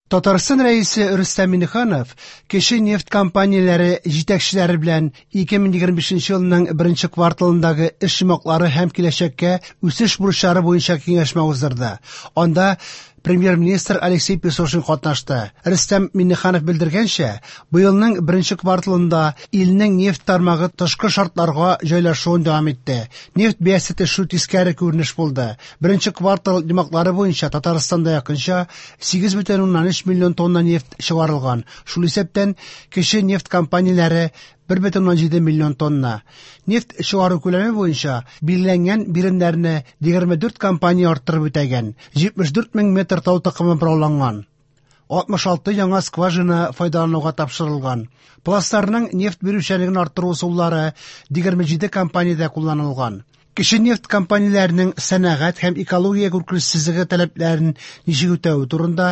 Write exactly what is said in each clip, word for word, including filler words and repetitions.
Татарстан Рәисе Рөстәм Миңнеханов кече нефть компанияләре җитәкчеләре белән ике мең егерме бишенче елның беренче кварталындагы эш йомгаклары һәм киләчәккә үсеш бурычлары буенча киңәшмә уздырды. Анда премьер-министр Алексей Песошин катнашты. Рөстәм Миңнеханов белдергәнчә, быелның беренче кварталында илнең нефть тармагы тышкы шартларга җайлашуын дәвам итте. Нефть бәясе төшү тискәре күренеш булды. Беренче квартал йомгаклары буенча Татарстанда якынча сигез бөтен уннан өч миллион тонна нефть чыгарылган. Шул исәптән кече нефть компанияләре бер бөтен уннан җиде миллион тонна. Нефть чыгару күләме буенча билгеләнгән биремнәрне егерме дүрт компания арттырып үтәгән. Җитмеш дүрт мең метр тау токымы борауланган. Алтмыш алты яңа скважина файдалануга тапшырылган. Пластларның нефть бирүчәнлеген арттыру ысуллары егерме җиде компаниядә кулланылган. Кече нефть компанияләренең сәнәгать һәм экология куркынычсызлыгы таләпләрен ничек үтәве турында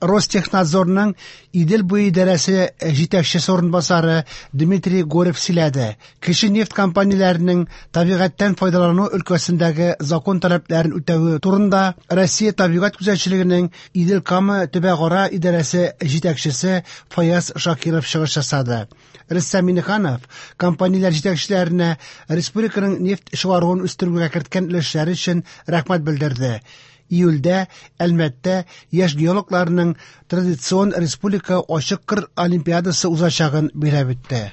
Ростехнадзорның Идел буе идарәсе җитәкчесе урынбасары Дмитрий Горев сөйләде. Кече нефть компанияләренең табигатьтән файдалану өлкәсендәге закон таләпләрен үтәве турында Россия табигать күзәтчелегенең Идел-Кама төбәкара идарәсе җитәкчесе Фаяз Шакиров чыгыш ясады. Рөстәм Миңнеханов компанияләр җитәкчеләренә республиканың нефть чыгаруын үстерүгә керткән өлешләре өчен рәхмәт белдерде. Июльдә Әлмәттә яшь геологларның традицион республика ачык кыр олимпиадасы узачагын билгеләп үтте.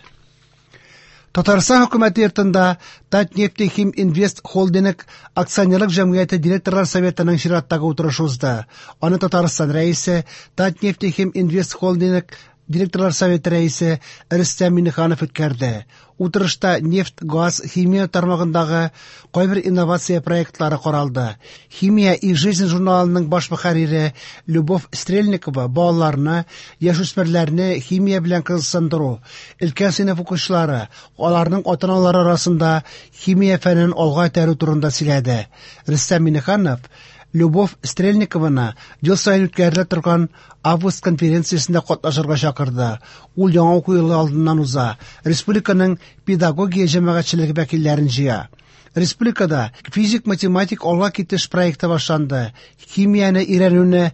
Татарстан хөкүмәте йортында Татнефтехим Инвест Холдинг акционерлык җәмгыяте директорлар советының чираттагы утырышы узды. Аны Татарстан рәисе Татнефтехим Инвест Холдинг директорлар советы рәисе Рөстәм Миңнеханов үткәрде. Утырышта нефть, газ, химия тармагындагы кайбер инновация проектлары каралды. Химия и жизнь журналының баш мөхәррире Любовь Стрельникова балаларны, яшүсмерләрне химия белән кызыксындыру, өлкән сыйныф укучылары, аларның ата-аналары арасында химия фәнен алга этәрү турында сөйләде. Рөстәм Миңнеханов Любовь Стрельникованы ел саен үткәрелә торган август конференциясендә катнашырга чакырды. Ул яңа уку елы алдыннан уза. Республиканың педагогия җәмәгатьчелеге вәкилләрен җыя. Республикада физик-математик алга китеш проекты башланды. Химияне өйрәнүне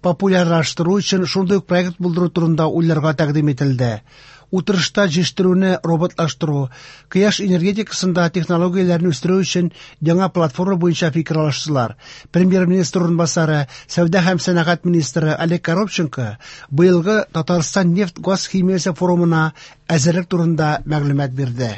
популярлаштыру өчен шундый ук проект булдыру турында уйларга тәкъдим ителде. Утырышта җитештерүне роботлаштыру, кояш энергетикасында технологияләрне үстерү өчен яңа платформа буенча фикер алыштылар. Премьер-министр урынбасары, сәүдә һәм сәнәгать министры Олег Коробченко быелгы Татарстан нефть-газ химиясе форумына әзерлек турында мәгълүмат бирде.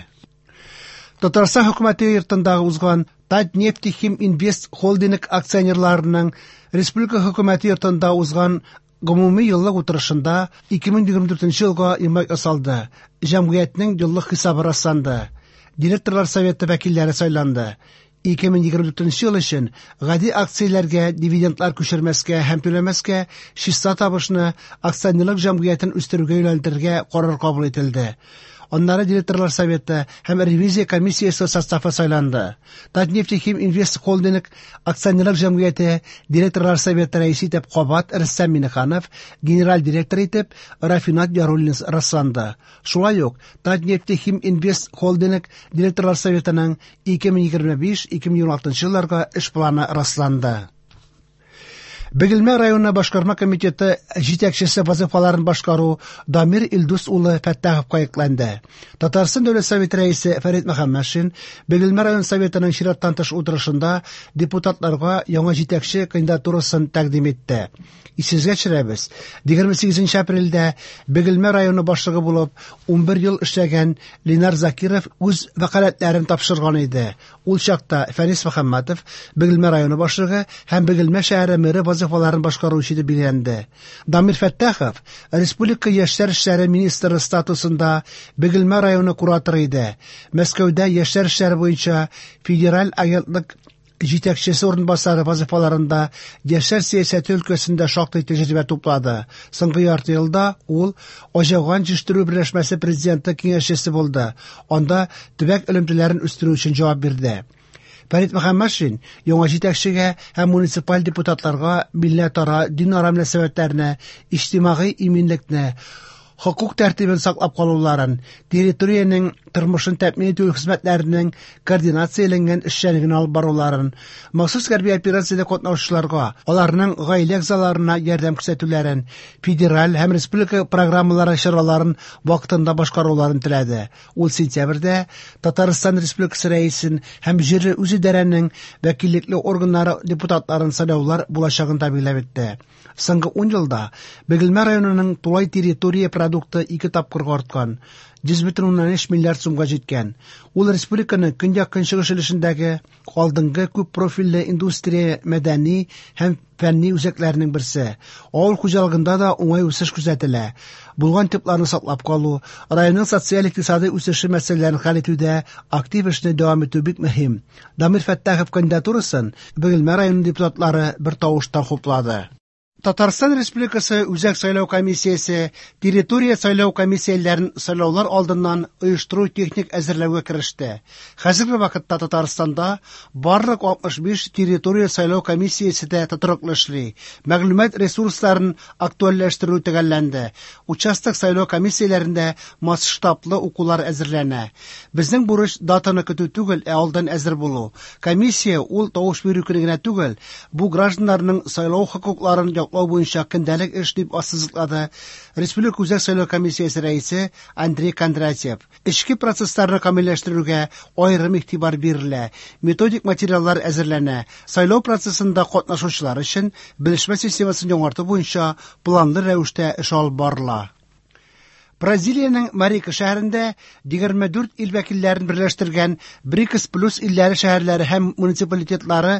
Татарстан хөкүмәте йортында узган Татнефтехим Инвест Холдинг акционерларының республика хөкүмәте йортында узган гомуми еллык утырышында ике мең егерме дүртенче елга йомгак ясалды. Җәмгыятьнең еллык хисабы расланды. Директорлар советы вәкилләре сайланды. Ике мең егерме дүртенче ел өчен гади акцияләргә дивидендлар күчермәскә һәм түләмәскә, чиста табышны акционерлык җәмгыятен үстерүгә юнәлдерергә карар кабул ителде. Аннары директорлар советы һәм ревизия комиссиясе составы сайланды. Татнефтехим Инвест Холдинг акционерлык җәмгыяте директорлар советы рәисе итеп кабат Рөстәм Миңнеханов, генераль директор итеп Рафинат Яруллин расланды. Шулай ук Татнефтехим Инвест Холдинг директорлар советының ике мең егерме биш — ике мең егерме алтынчы елларга эш планы расланды. Бөгелмә районы башкарма комитеты җитәкчесе вазифаларын башкару Дамир Илдус улы Фәттаховка йөкләнде. Татарстан Дәүләт Советы рәисе Фәрит Мөхәммәтшин Бөгелмә район советының чираттан тыш утырышында депутатларга яңа җитәкче кандидатурасын тәкъдим итте. Исегезгә төшерәбез, егерме сигезенче апрельдә Бөгелмә районы башлыгы булып унбер ел эшләгән Ленар Закиров үз вәкаләтләрен тапшырган иде. Ул чакта Фәнис Мөхәммәтов Бөгелмә районы башлыгы һәм Бөгелмә шәһәре мэры вазифаларын башкаручы дип билгеләнде. Дамир Фәттахов Республика яшьләр эшләре министры статусында Бөгелмә районы кураторы иде. Мәскәүдә яшьләр эшләре буенча федераль агентлык җитәкчесе урынбасары вазифаларында яшьләр сәясәте өлкәсендә шактый тәҗрибә туплады. Соңгы ярты елда ул Аҗаган җитештерү берләшмәсе президенты киңәшчесе булды. Анда төбәк элемтәләрен үстерү өчен җавап бирде. Фәрит Мөхәммәтшин яңа җитәкчегә һәм муниципаль депутатларга милләтара, динара мөнәсәбәтләрне, иҗтимагый иминлекне, хокук тәртибен саклап калуларын, территориянең тормышын тәэмин итү хезмәтләренең координацияләнгән эшчәнлеген алып баруларын, махсус хәрби операциядә катнашучыларга, аларның гаилә әгъзаларына ярдәм күрсәтүләрен, федераль һәм республика программалары чараларын вакытында башкаруларын теләде. Ул сентябрьдә Татарстан Республикасы Рәисен һәм җирле үзидарәнең вәкиллекле органнары депутатларын сайлаулар булачагын да билгеләп үтте. Соңгы ун елда Бөгелмә районының тулай территория продукты ике тапкырга арткан, йөз бөтен уннан өч миллиард сумга җиткән. Ул республиканың көньяк-көнчыгыш өлешендәге алдынгы күп профильле индустрия, мәдәни һәм фәнни үзәкләренең берсе. Авыл хуҗалыгында да уңай үсеш күзәтелә. Булган типларны саклап калу, районның социаль-икътисади үсеше мәсьәләләрен хәл итүдә актив эшне дәвам итү бик мөһим. Дамир Фәттахов кандидатурасын Бөгелмә районы депутатлары бер тавыштан хуплады. Татарстан Республикасы Үзәк сайлау комиссиясе территория сайлау комиссияләрен сайлаулар алдыннан оештыру техник әзерләүгә кереште. Хәзерге вакытта Татарстанда барлык алтмыш биш территория сайлау комиссиясе дә тотрыклы эшли. Мәгълүмат ресурсларын актуальләштерү төгәлләнде. Участок сайлау комиссияләрендә масштаблы укулар әзерләнә. Безнең бурыч датаны көтү түгел, ә алдан әзер булу. Комиссия ул тавыш бирү көне генә түгел, бу гражданнарның сайлау хокукларын яклау буенча көндәлек эш дип ассызыклады Республика Үзәк сайлау комиссиясе рәисе Андрей Кондратьев. Эчке процессларны камилләштерүгә аерым игътибар бирелә, методик материаллар әзерләнә, сайлау процессында катнашучылар өчен белешмә системасын яңарту буенча планлы рәвештә эш алып барыла. Бразилиянең Марика шәһәрендә егерме дүрт ил вәкилләрен берләштергән БРИКС плюс илләре шәһәрләре һәм муниципалитетлары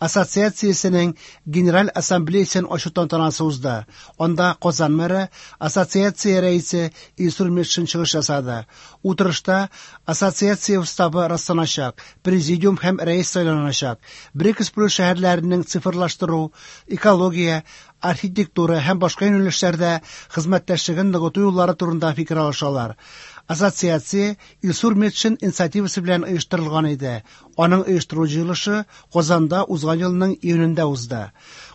ассоциациясенең Генераль ассамблеясын ачу тантанасы узды. Анда Казан мэры, ассоциация рәисе Илсур Метшин чыгыш ясады. Утырышта ассоциация уставы расланачак, президиум һәм рәис сайланачак. БРИКС плюс шәһәрләренең цифрлаштыру, экология, архитектура һәм башка юнәлешләрдә хезмәттәшлеген ныгыту юллары турында фикер алышалар. Ассоциация Илсур Метшин инициативасы белән оештырылган иде. Аның оештыру җыелышы Казанда узган елның июнендә узды.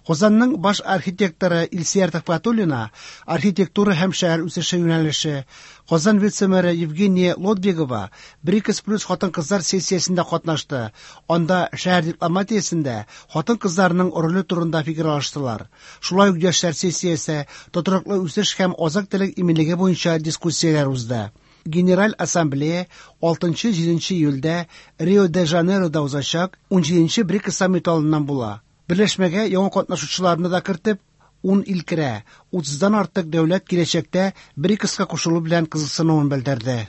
Казанның баш архитекторы Илсөяр Төхвәтуллина архитектура һәм шәһәр үсеше юнәлеше, Казан вице-мэры Евгения Лодвигова БРИКС плюс хатын-кызлар сессиясендә катнашты. Анда шәһәр дипломатиясендә хатын-кызларның роле турында фикер алыштылар. Шулай ук яшьләр сессиясе, тотрыклы үсеш һәм азык-төлек иминлеге буенча дискуссияләр узды. Генераль ассамблея алтынчы-җиденче июльдә Рио-де-Жанейрода узачак унҗиденче БРИКС саммиты алдыннан була. Берләшмәгә яңа катнашучыларны да кертеп, ун ил керә. Утыздан артык дәүләт киләчәктә БРИКСка кушылу белән кызыксынуын белдерде.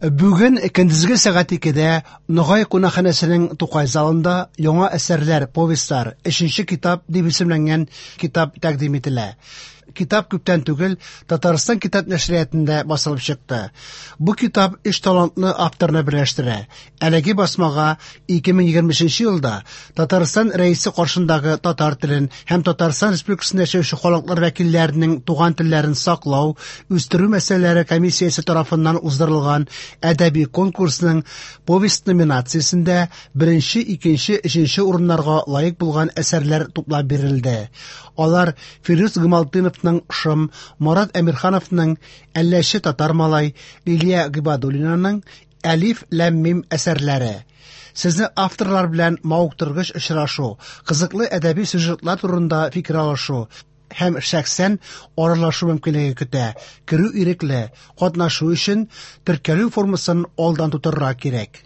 Бүген көндезге сәгать икедә Ногай кунакханәсенең Тукай залында яңа әсәрләр, повестьлар, өченче китап дип исемләнгән китап тәкъдим ителә. Китап күптән түгел Татарстан китап нәшриятында басылып чыкты. Бу китап өч талантлы авторны берләштерә. Әлеге басмага ике мең егерме өченче елда Татарстан Рәисе каршындагы татар телен һәм Татарстан Республикасында яшәүче халыклар вәкилләренең туган телләрен саклау, үстерү мәсьәләләре комиссиясе тарафыннан уздырылган әдәби конкурсның повесть номинациясендә беренче, икенче, өченче урыннарга лаек булган әсәрләр туплап бирелде. Алар Фирүз Гамалтдиновның Шым, Марат Әмирхановның Әлләче татар малай, Лилия Гыйбадуллинаның Әлиф ләм мим әсәрләре. Сезне авторлар белән мавыктыргыч очрашу, кызыклы әдәби сюжетлар турында фикер алышу һәм шәхсән аралашу мөмкинлеге көтә. Керү ирекле, катнашу өчен теркәлү формасын алдан тутырырга кирәк.